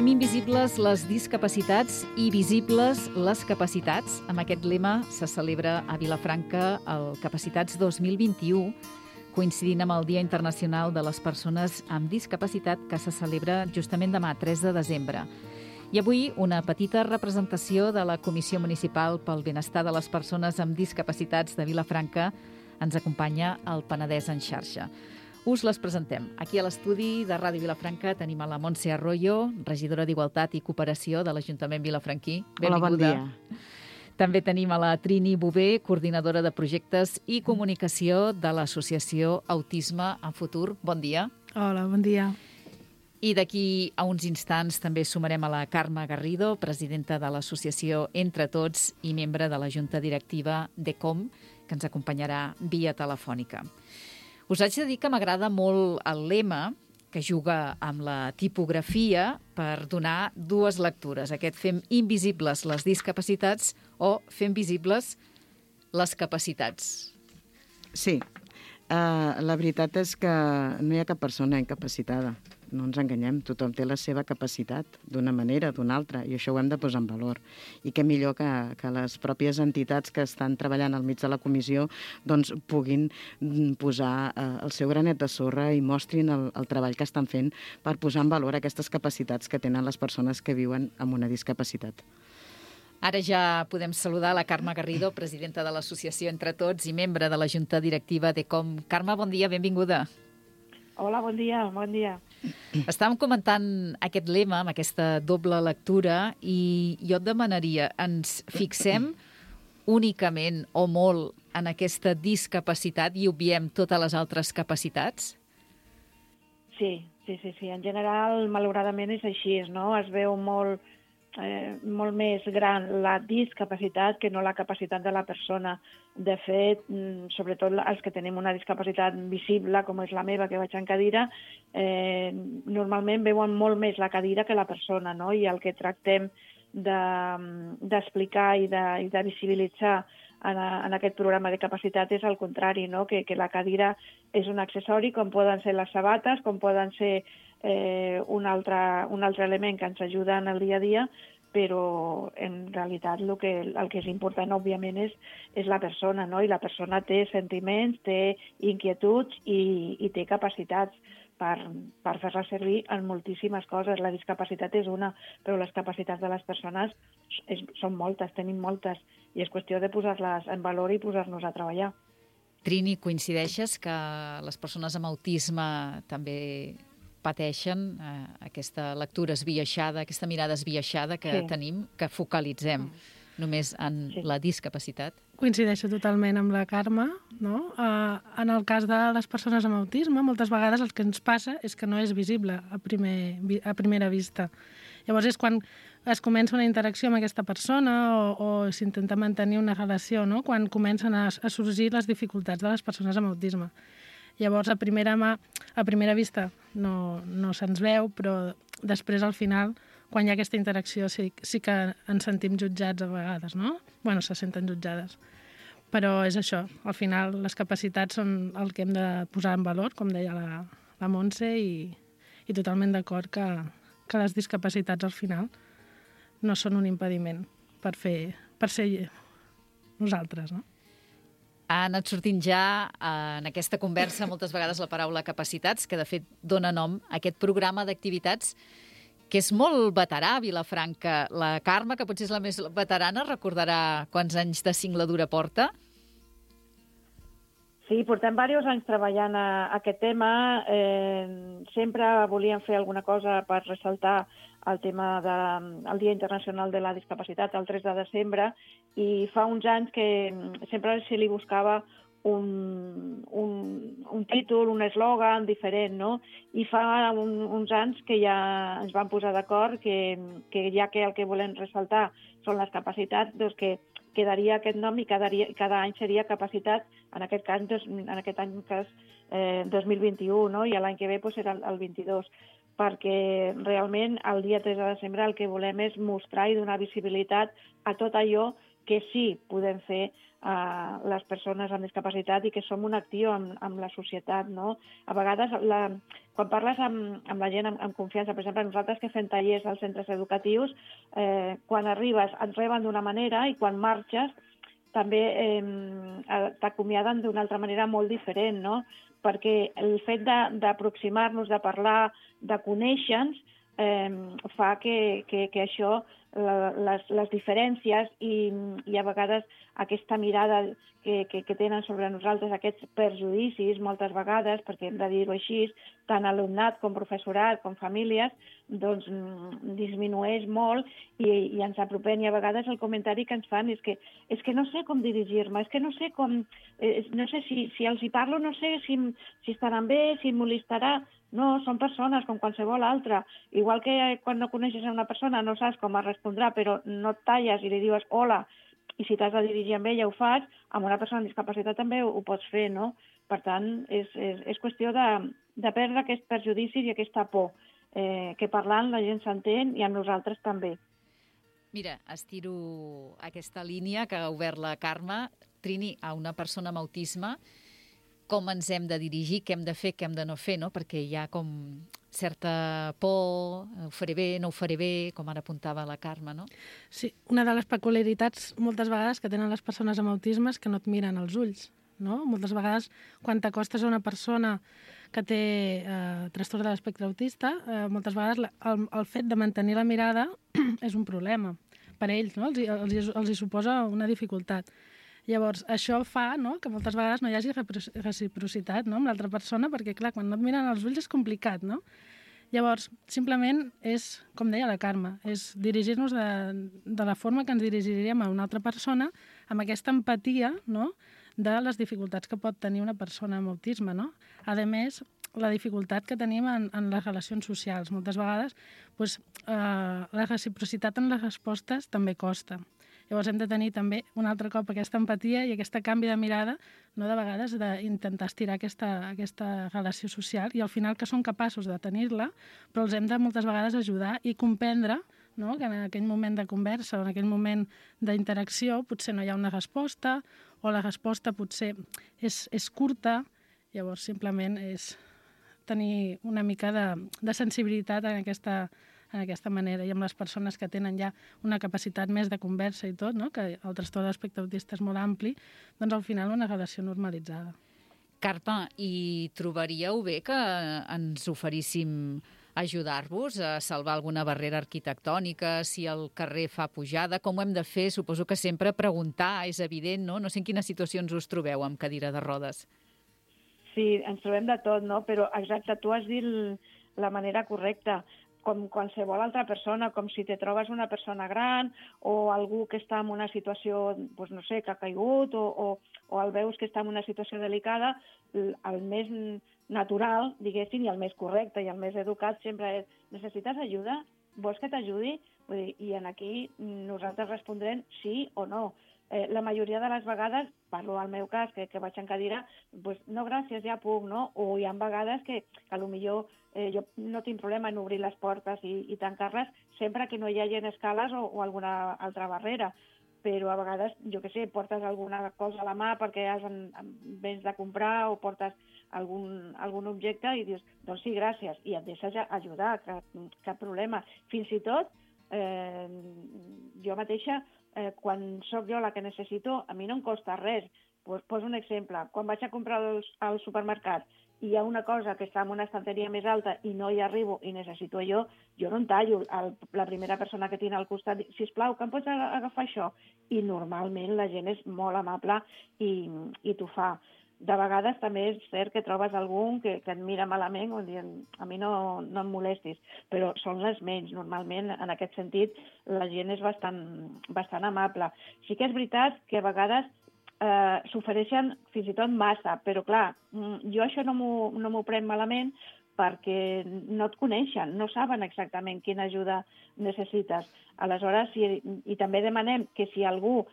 Fem invisibles les discapacitats i visibles les capacitats. Amb aquest lema se celebra a Vilafranca el Capacitats 2021, coincidint amb el Dia Internacional de les Persones amb Discapacitat, que se celebra justament demà, 3 de desembre. I avui una petita representació de la Comissió Municipal pel Benestar de les Persones amb Discapacitats de Vilafranca ens acompanya al Penedès en xarxa. Us les presentem. Aquí a l'estudi de Ràdio Vilafranca tenim a la Montse Arroyo, regidora d'Igualtat i Cooperació de l'Ajuntament vilafranquí. Benvinguda. Hola, bon dia. També tenim a la Trini Bové, coordinadora de projectes i comunicació de l'associació Autisme en Futur. Bon dia. Hola, bon dia. I d'aquí a uns instants també sumarem a la Carme Garrido, presidenta de l'associació Entre Tots i membre de la Junta Directiva d'ECOM, que ens acompanyarà via telefònica. Us haig de dir que m'agrada molt el lema, que juga amb la tipografia per donar dues lectures. Aquest fem invisibles les discapacitats o fem visibles les capacitats. Sí, la veritat és que no hi ha cap persona incapacitada. No ens enganyem, tothom té la seva capacitat d'una manera o d'una altra, i això ho hem de posar en valor. I què millor que les pròpies entitats que estan treballant al mig de la comissió doncs puguin posar el seu granet de sorra i mostrin el treball que estan fent per posar en valor aquestes capacitats que tenen les persones que viuen amb una discapacitat. Ara ja podem saludar la Carme Garrido, presidenta de l'associació Entre Tots i membre de la Junta Directiva d'ECOM. Carme, bon dia, benvinguda. Hola, bon dia, bon dia. Estàvem comentant aquest lema, amb aquesta doble lectura, i jo et demanaria, ens fixem únicament o molt en aquesta discapacitat i obviem totes les altres capacitats? Sí. En general, malauradament és així, no? Es veu molt més gran la discapacitat que no la capacitat de la persona. De fet, sobretot els que tenim una discapacitat visible, com és la meva, que vaig en cadira, normalment veuen molt més la cadira que la persona, no? I el que tractem d'explicar i de visibilitzar en aquest programa de capacitat és el contrari, no? Que la cadira és un accessori, com poden ser les sabates, com poden ser un altre element que ens ajuda en el dia a dia, però en realitat el que és important, òbviament, és la persona, no? I la persona té sentiments, té inquietuds i té capacitats per fer-la servir en moltíssimes coses. La discapacitat és una, però les capacitats de les persones són moltes, tenim moltes, i és qüestió de posar-les en valor i posar-nos a treballar. Trini, coincideixes que les persones amb autisme també pateixen aquesta lectura esbiaixada, aquesta mirada esbiaixada que tenim, que focalitzem només en la discapacitat? Coincideixo totalment amb la Carme, no? En el cas de les persones amb autisme, moltes vegades el que ens passa és que no és visible a primera vista. Llavors és quan es comença una interacció amb aquesta persona o s'intenta mantenir una relació, no? Quan comencen a sorgir les dificultats de les persones amb autisme. Llavors, a primera vista no se'ns veu, però després, al final, quan hi ha aquesta interacció, sí que ens sentim jutjats a vegades, no? Bueno, se senten jutjades. Però és això, al final les capacitats són el que hem de posar en valor, com deia la Montse, i totalment d'acord que les discapacitats, al final, no són un impediment per ser nosaltres, no? Ha anat sortint ja en aquesta conversa moltes vegades la paraula capacitats, que de fet dona nom a aquest programa d'activitats que és molt veterà a Vilafranca. La Carme, que potser és la més veterana, recordarà quants anys de singladura porta? Sí, portem diversos anys treballant a aquest tema. Sempre volíem fer alguna cosa per ressaltar el tema del Dia Internacional de la Discapacitat, el 3 de desembre, i fa uns anys que sempre se li buscava un títol, un eslògan diferent, no? I fa uns anys que ja ens vam posar d'acord que ja que el que volem ressaltar són les capacitats, doncs que quedaria aquest nom i cada any seria capacitat, en aquest any 2021, no? I l'any que ve serà el 22, perquè realment el dia 3 de desembre el que volem és mostrar i donar visibilitat a tot allò que sí podem fer les persones amb discapacitat i que som un actiu amb la societat, no? A vegades, quan parles amb la gent amb confiança, per exemple, nosaltres que fem tallers als centres educatius, quan arribes et reben d'una manera i quan marxes també t'acomiaden d'una altra manera molt diferent, no? Perquè el fet d'aproximar-nos, de parlar, de conèixer-nos, fa que això, les diferències i a vegades aquesta mirada que tenen sobre nosaltres, aquests perjudicis, moltes vegades, perquè hem de dir-ho així, tant alumnat com professorat com famílies, doncs disminueix molt i ens apropem. I a vegades el comentari que ens fan és que no sé com dirigir-me, és que no sé com... no sé si els hi parlo, no sé si estaran bé, si em molestarà. No, són persones com qualsevol altra. Igual que quan no coneixes una persona no saps com es respondrà, però no et talles i li dius hola, i si t'has de dirigir amb ella ho fas, amb una persona amb discapacitat també ho pots fer, no? Per tant, és qüestió de perdre aquests perjudicis i aquesta por, que parlant la gent s'entén i amb nosaltres també. Mira, estiro aquesta línia que ha obert la Carme. Trini, a una persona amb autisme, com ens hem de dirigir, què hem de fer, què hem de no fer, no? Perquè hi ha com certa por, ho faré bé, no ho faré bé, com ara apuntava la Carme, no? Sí, una de les peculiaritats moltes vegades que tenen les persones amb autisme és que no et miren als ulls, no? Moltes vegades, quan t'acostes a una persona que té trastorn de l'espectre autista, moltes vegades el fet de mantenir la mirada és un problema per a ells, no? Els hi suposa una dificultat. Llavors, això fa, no?, que moltes vegades no hi hagi reciprocitat, no?, amb l'altra persona, perquè, clar, quan no et miren als ulls és complicat, no? Llavors, simplement és, com deia la Carme, és dirigir-nos de la forma que ens dirigiríem a una altra persona, amb aquesta empatia, no?, de les dificultats que pot tenir una persona amb autisme, no? A més, la dificultat que tenim en les relacions socials. Moltes vegades, doncs, la reciprocitat en les respostes també costa. Llavors hem de tenir també un altre cop aquesta empatia i aquest canvi de mirada, no de vegades d'intentar estirar aquesta relació social i al final que són capaços de tenir-la, però els hem de moltes vegades ajudar i comprendre, no?, que en aquell moment de conversa o en aquell moment d'interacció potser no hi ha una resposta o la resposta potser és curta, llavors simplement és tenir una mica de sensibilitat en aquesta manera i amb les persones que tenen ja una capacitat més de conversa i tot, no?, que el trastorn de l'espectre autista és molt ampli, doncs al final una relació normalitzada. Carme, i trobaríeu bé que ens oferíssim ajudar-vos a salvar alguna barrera arquitectònica, si el carrer fa pujada, com ho hem de fer? Suposo que sempre preguntar, és evident, no? No sé en quines situacions us trobeu amb cadira de rodes. Sí, ens trobem de tot, no? Però exacte, tu has dit la manera correcta, com qualsevol altra persona, com si te trobes una persona gran o algú que està en una situació, doncs no sé, que ha caigut o el veus que està en una situació delicada, el més natural, diguéssim, i el més correcte i el més educat sempre és: necessites ajuda? Vols que t'ajudi? Vull dir, i aquí nosaltres respondrem sí o no. La majoria de les vegades, parlo al meu cas, que vaig en cadira, doncs no, gràcies, ja puc, no? O hi ha vegades que potser jo no tinc problema en obrir les portes i tancar-les sempre que no hi hagi escales o alguna altra barrera. Però a vegades, jo què sé, portes alguna cosa a la mà perquè vens de comprar o portes algun objecte i dius, doncs sí, gràcies, i et deixes ajudar, cap problema. Fins i tot, jo mateixa, quan sóc jo la que necessito, a mi no em costa res. Poso un exemple. Quan vaig a comprar al supermercat i hi ha una cosa que està en una estanteria més alta i no hi arribo i necessito jo no em tallo. La primera persona que tinc al costat diu, sisplau, que em pots agafar això? I normalment la gent és molt amable i t'ho fa. De vegades també és cert que trobes algun que et mira malament o dient, a mi no em molestis, però són les menys. Normalment, en aquest sentit, la gent és bastant amable. Sí que és veritat que a vegades s'ofereixen fins i tot massa, però clar, jo això no m'ho prenc malament perquè no et coneixen, no saben exactament quina ajuda necessites. Aleshores, i també demanem que si algú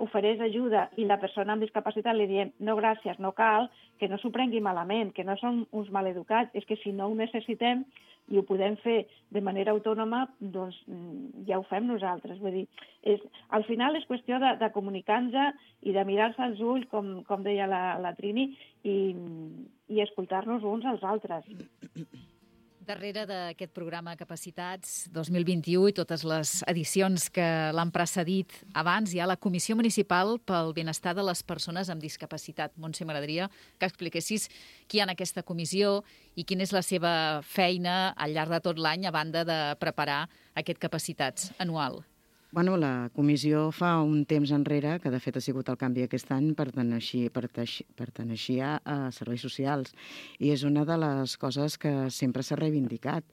ofereix ajuda i la persona amb discapacitat li diem no gràcies, no cal, que no s'ho prengui malament, que no són uns maleducats, és que si no ho necessitem i ho podem fer de manera autònoma, doncs ja ho fem nosaltres. Vull dir, al final és qüestió de comunicar-nos i de mirar-se als ulls, com deia la Trini, i escoltar-nos uns als altres. Darrere d'aquest programa Capacitats 2021 i totes les edicions que l'han precedit abans, hi ha la Comissió Municipal pel Benestar de les Persones amb Discapacitat. Montse, m'agradaria que expliquessis qui hi ha en aquesta comissió i quina és la seva feina al llarg de tot l'any a banda de preparar aquest Capacitats anual. Bueno, la comissió fa un temps enrere, que de fet ha sigut el canvi aquest any, perteneixia a serveis socials. I és una de les coses que sempre s'ha reivindicat.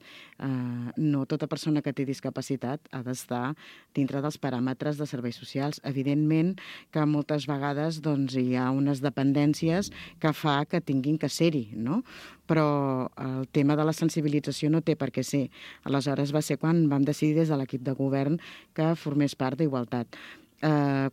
No tota persona que té discapacitat ha d'estar dintre dels paràmetres de serveis socials. Evidentment que moltes vegades hi ha unes dependències que fa que tinguin que ser-hi, no? Però el tema de la sensibilització no té per què ser. Aleshores va ser quan vam decidir des de l'equip de govern que formés part d'Igualtat.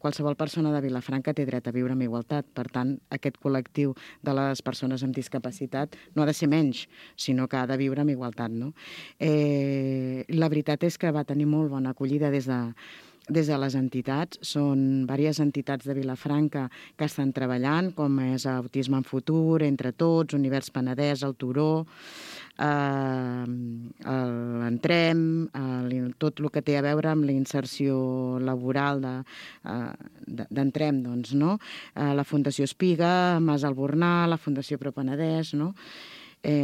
Qualsevol persona de Vilafranca té dret a viure amb igualtat. Per tant, aquest col·lectiu de les persones amb discapacitat no ha de ser menys, sinó que ha de viure amb igualtat, no? La veritat és que va tenir molt bona acollida des de les entitats. Són diverses entitats de Vilafranca que estan treballant, com és Autisme en Futur, Entre Tots, Univers Penedès, el Turó, l'Entrem, tot el que té a veure amb la inserció laboral d'Entrem, doncs, no? La Fundació Espiga, Mas Albornà, la Fundació Pro Penedès, no? Hi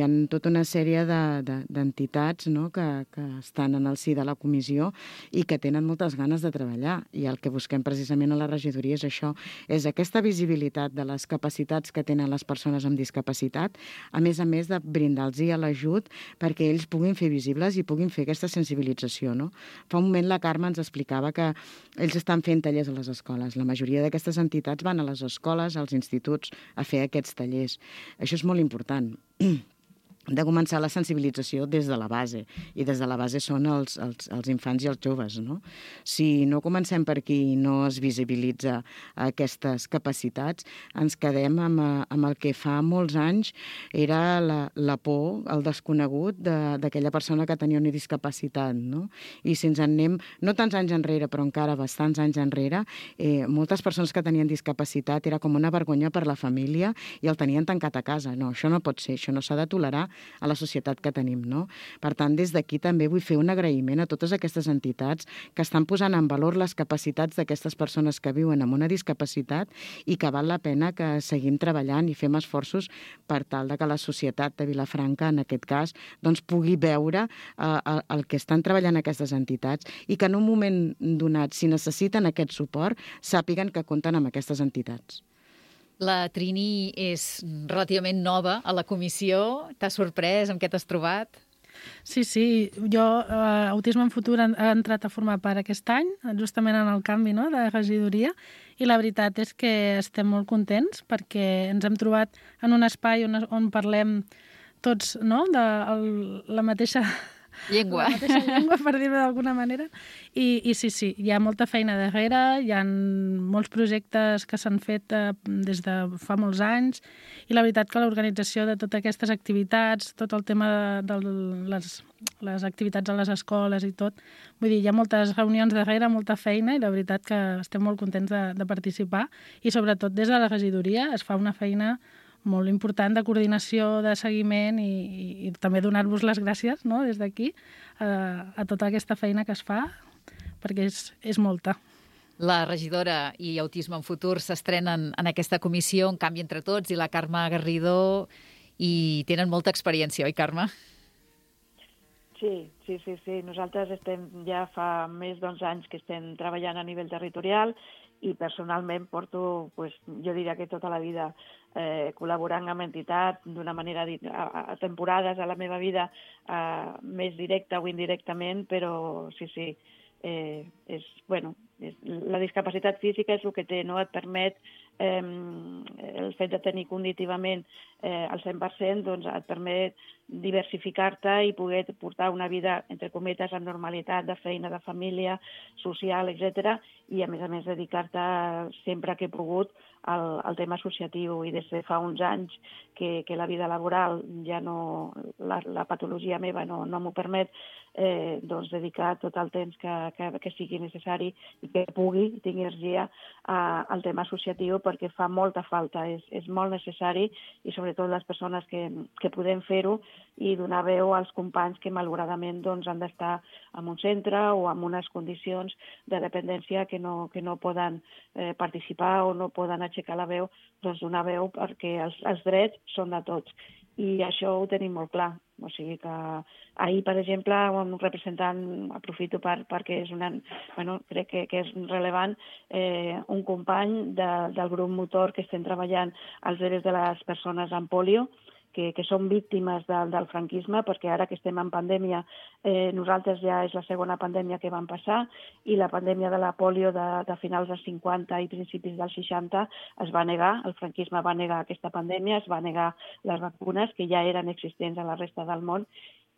ha tota una sèrie d'entitats, no?, que estan en el si de la comissió i que tenen moltes ganes de treballar. I el que busquem precisament a la regidoria és això, és aquesta visibilitat de les capacitats que tenen les persones amb discapacitat, a més de brindar-los l'ajut perquè ells puguin fer visibles i puguin fer aquesta sensibilització, no? Fa un moment la Carme ens explicava que ells estan fent tallers a les escoles. La majoria d'aquestes entitats van a les escoles, als instituts, a fer aquests tallers. Això és molt important, de començar la sensibilització des de la base, i des de la base són els infants i els joves, no? Si no comencem per aquí i no es visibilitza aquestes capacitats, ens quedem amb el que fa molts anys era la por, el desconegut d'aquella persona que tenia una discapacitat, no? I si ens en anem, no tants anys enrere, però encara bastants anys enrere, moltes persones que tenien discapacitat era com una vergonya per la família i el tenien tancat a casa. No, això no pot ser, això no s'ha de tolerar a la societat que tenim, no? Per tant, des d'aquí també vull fer un agraïment a totes aquestes entitats que estan posant en valor les capacitats d'aquestes persones que viuen amb una discapacitat i que val la pena que seguim treballant i fem esforços per tal de que la societat de Vilafranca, en aquest cas, doncs pugui veure el que estan treballant aquestes entitats i que en un moment donat, si necessiten aquest suport, sàpiguen que compten amb aquestes entitats. La Trini és relativament nova a la comissió. T'ha sorprès? Amb què t'has trobat? Sí. Jo, Autisme en Futur, ha entrat a formar part aquest any, justament en el canvi, no?, de regidoria, i la veritat és que estem molt contents perquè ens hem trobat en un espai on parlem tots, no?, de la mateixa llengua, per dir-ho d'alguna manera. I sí, hi ha molta feina darrere, hi ha molts projectes que s'han fet des de fa molts anys, i la veritat que l'organització de totes aquestes activitats, tot el tema de les activitats a les escoles i tot, vull dir, hi ha moltes reunions darrere, molta feina, i la veritat que estem molt contents de participar, i sobretot des de la regidoria es fa una feina molt important de coordinació, de seguiment, i també donar-vos les gràcies, no?, des d'aquí, a tota aquesta feina que es fa, perquè és molta. La regidora i Autisme en Futur s'estrenen en aquesta comissió, En canvi entre tots, i la Carme Garrido, i tenen molta experiència, oi, Carme? Sí. Nosaltres ja fa més d'11 anys que estem treballant a nivell territorial i personalment porto, jo diria que tota la vida col·laborant amb entitats d'una manera a temporades a la meva vida, més directa o indirectament, però sí, la discapacitat física és el que té, no? Et permet, el fet de tenir cognitivament el 100%, doncs et permet diversificar-te i poder portar una vida, entre cometes, amb normalitat, de feina, de família, social, etc. I, a més, dedicar-te sempre que he pogut al tema associatiu. I des de fa uns anys que la vida laboral ja no... La patologia meva no m'ho permet, doncs dedicar tot el temps que sigui necessari i que pugui, i tingui energia al tema associatiu, perquè fa molta falta, és molt necessari, i sobretot les persones que podem fer-ho i donar veu als companys que malauradament doncs, han d'estar en un centre o en unes condicions de dependència que no poden participar o no poden aixecar la veu, doncs donar veu perquè els drets són de tots. I això ho tenim molt clar. O sigui que ahir, per exemple, un representant, aprofito perquè és crec que és rellevant, un company del grup motor que estem treballant als drets de les persones amb pòlio, que són víctimes del franquisme, perquè ara que estem en pandèmia, nosaltres ja és la segona pandèmia que vam passar, i la pandèmia de la pòlio de finals dels 50 i principis dels 60 es va negar, el franquisme va negar aquesta pandèmia, es va negar les vacunes que ja eren existents a la resta del món,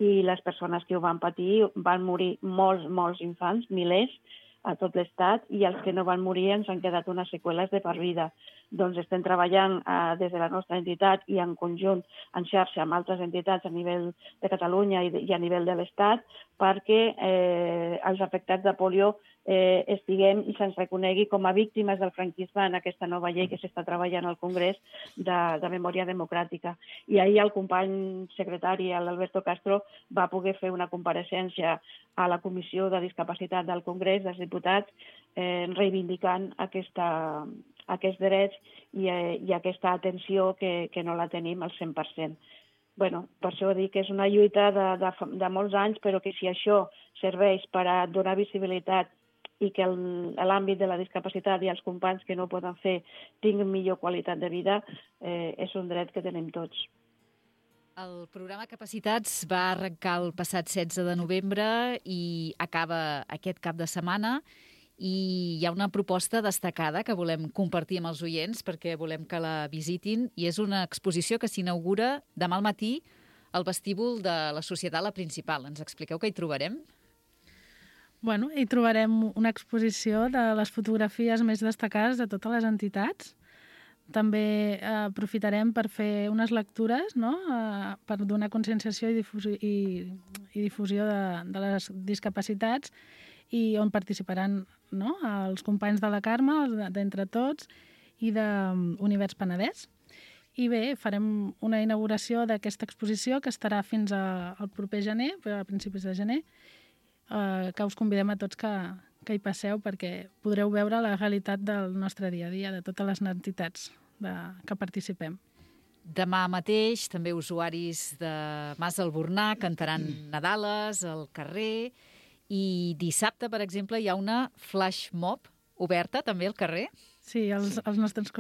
i les persones que ho van patir van morir molts infants, milers, a tot l'Estat, i els que no van morir ens han quedat unes seqüeles de per vida. Doncs estem treballant des de la nostra entitat i en conjunt, en xarxa amb altres entitats a nivell de Catalunya i a nivell de l'Estat, perquè els afectats de pòlio estiguem i se'ns reconegui com a víctimes del franquisme en aquesta nova llei que s'està treballant al Congrés de Memòria Democràtica. I ahir el company secretari, l'Alberto Castro, va poder fer una compareixença a la Comissió de Discapacitat del Congrés dels Diputats reivindicant aquests drets i aquesta atenció que no la tenim al 100%. Per això dic que és una lluita de molts anys, però que si això serveix per a donar visibilitat i que l'àmbit de la discapacitat i els companys que no ho poden fer tinguin millor qualitat de vida, és un dret que tenim tots. El programa Capacitats va arrencar el passat 16 de novembre i acaba aquest cap de setmana, i hi ha una proposta destacada que volem compartir amb els oients perquè volem que la visitin, i és una exposició que s'inaugura demà al matí al vestíbul de la Societat La Principal. Ens expliqueu què hi trobarem? Hi trobarem una exposició de les fotografies més destacades de totes les entitats. També aprofitarem per fer unes lectures, no? Per donar conscienciació i difusió de les discapacitats, i on participaran els companys de la Carme, d'Entre Tots, i d'Univers Penedès. I bé, farem una inauguració d'aquesta exposició que estarà fins al proper gener, a principis de gener, que us convidem a tots que hi passeu perquè podreu veure la realitat del nostre dia a dia, de totes les entitats que participem. Demà mateix també usuaris de Mas Albornà cantaran Nadales al carrer, i dissabte, per exemple, hi ha una flash mob oberta també al carrer. Sí, els nostres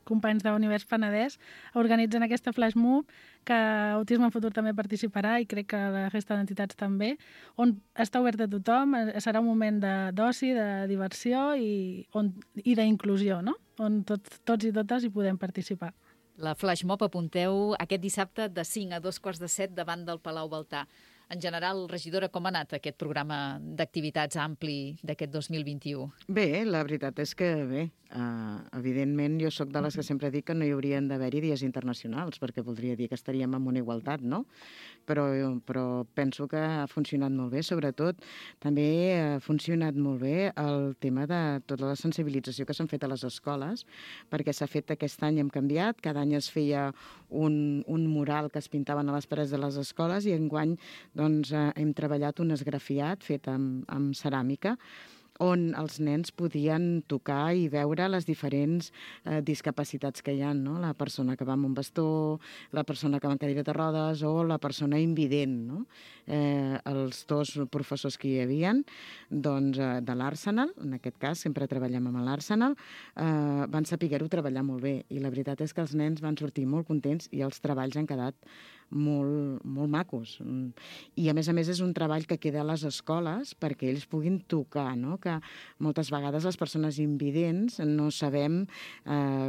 companys d'Univers Penedès organitzen aquesta flash mob, que Autisme en Futur també participarà, i crec que la resta d'entitats també, on està obert a tothom, serà un moment d'oci, de diversió i d'inclusió, no? On tots i totes hi podem participar. La flash mob, apunteu, aquest dissabte de 5 a 2:45 davant del Palau Baltà. En general, regidora, com ha anat aquest programa d'activitats ampli d'aquest 2021? Bé, la veritat és que bé. Evidentment, jo sóc de les que sempre dic que no hi haurien d'haver-hi dies internacionals, perquè voldria dir que estaríem en una igualtat, no? Però penso que ha funcionat molt bé. Sobretot, també ha funcionat molt bé el tema de tota la sensibilització que s'han fet a les escoles, perquè s'ha fet aquest any, hem canviat, cada any es feia un mural que es pintaven a les parets de les escoles, i enguany hem treballat un esgrafiat fet amb ceràmica, on els nens podien tocar i veure les diferents discapacitats que hi ha, no? La persona que va amb un bastó, la persona que va en cadira de rodes o la persona invident, no? Els dos professors que hi havia de l'Arsenal, en aquest cas sempre treballem amb l'Arsenal, van saber-ho treballar molt bé, i la veritat és que els nens van sortir molt contents i els treballs han quedat molt macos. I a més és un treball que queda a les escoles perquè ells puguin tocar, no? Que moltes vegades les persones invidents no sabem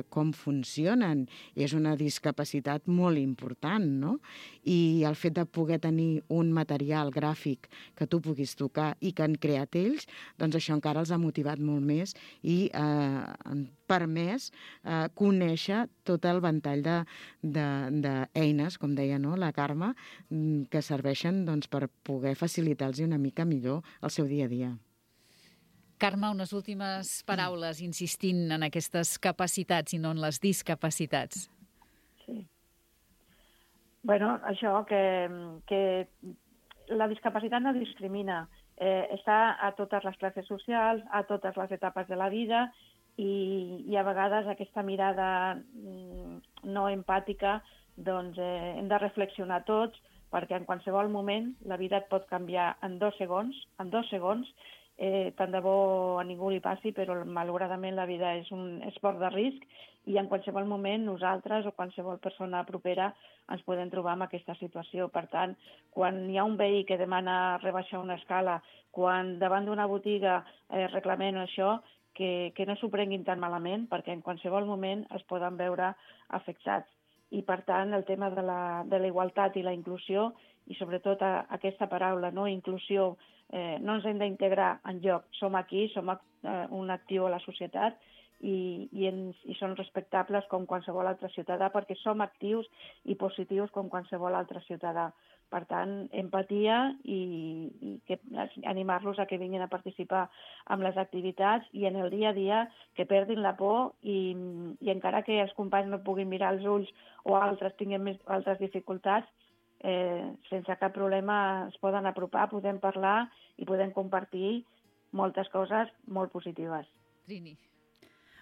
com funcionen. És una discapacitat molt important, no? I el fet de poder tenir un material gràfic que tu puguis tocar i que han creat ells, doncs això encara els ha motivat molt més i han permès conèixer tot el ventall d'eines, com deia, no, la Carme, que serveixen per poder facilitar-los una mica millor el seu dia a dia. Carme, unes últimes paraules insistint en aquestes capacitats i no en les discapacitats. Sí. Bueno, això, que la discapacitat no discrimina. Està a totes les classes socials, a totes les etapes de la vida, i a vegades aquesta mirada no empàtica hem de reflexionar tots, perquè en qualsevol moment la vida et pot canviar en 2 segons, tant de bo a ningú li passi, però malauradament la vida és un esport de risc i en qualsevol moment nosaltres o qualsevol persona propera ens podem trobar en aquesta situació. Per tant, quan hi ha un veí que demana rebaixar una escala, quan davant d'una botiga reclamem això, que no s'ho prenguin tan malament, perquè en qualsevol moment es poden veure afectats. I, per tant, el tema de la igualtat i la inclusió, i sobretot aquesta paraula, no? Inclusió, no ens hem d'integrar enlloc. Som aquí, som un actiu a la societat i som respectables com qualsevol altre ciutadà, perquè som actius i positius com qualsevol altre ciutadà. Per tant, empatia i animar-los a que vinguin a participar en les activitats i en el dia a dia que perdin la por i encara que els companys no puguin mirar els ulls o altres tinguin altres dificultats, sense cap problema es poden apropar, podem parlar i podem compartir moltes coses molt positives. Trini.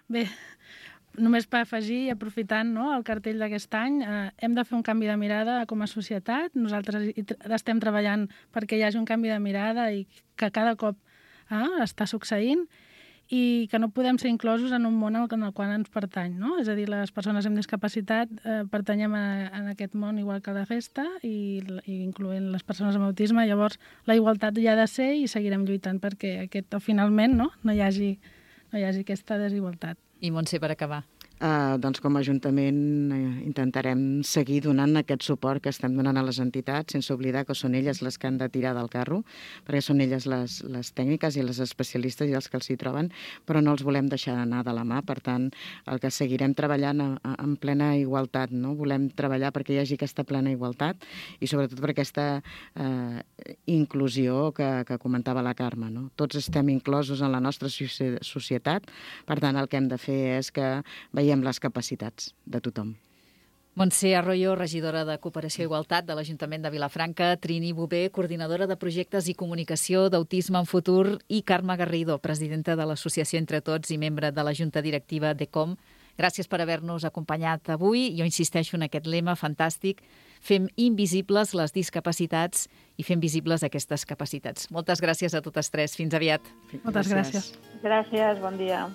Bé, només per afegir, i aprofitant el cartell d'aquest any, hem de fer un canvi de mirada com a societat. Nosaltres estem treballant perquè hi hagi un canvi de mirada i que cada cop està succeint i que no podem ser inclosos en un món en el qual ens pertany, no? És a dir, les persones amb discapacitat pertanyem a aquest món igual que la resta i incloent les persones amb autisme. Llavors, la igualtat hi ha de ser i seguirem lluitant perquè finalment no hi hagi aquesta desigualtat. I Montse, per acabar. Doncs com a Ajuntament intentarem seguir donant aquest suport que estem donant a les entitats, sense oblidar que són elles les que han de tirar del carro, perquè són elles les tècniques i les especialistes i els que els hi troben, però no els volem deixar anar de la mà. Per tant, el que seguirem treballant en plena igualtat, no? Volem treballar perquè hi hagi aquesta plena igualtat i sobretot per aquesta inclusió que comentava la Carme, no? Tots estem inclosos en la nostra societat, per tant, el que hem de fer és que veiem les capacitats de tothom. Montse Arroyo, regidora de Cooperació i Igualtat de l'Ajuntament de Vilafranca, Trini Bové, coordinadora de projectes i comunicació d'Autisme en Futur, i Carme Garrido, presidenta de l'Associació Entre Tots i membre de la Junta Directiva d'ECOM. Gràcies per haver-nos acompanyat avui. Jo insisteixo en aquest lema fantàstic: fem invisibles les discapacitats i fem visibles aquestes capacitats. Moltes gràcies a totes tres. Fins aviat. Moltes gràcies. Gràcies, bon dia.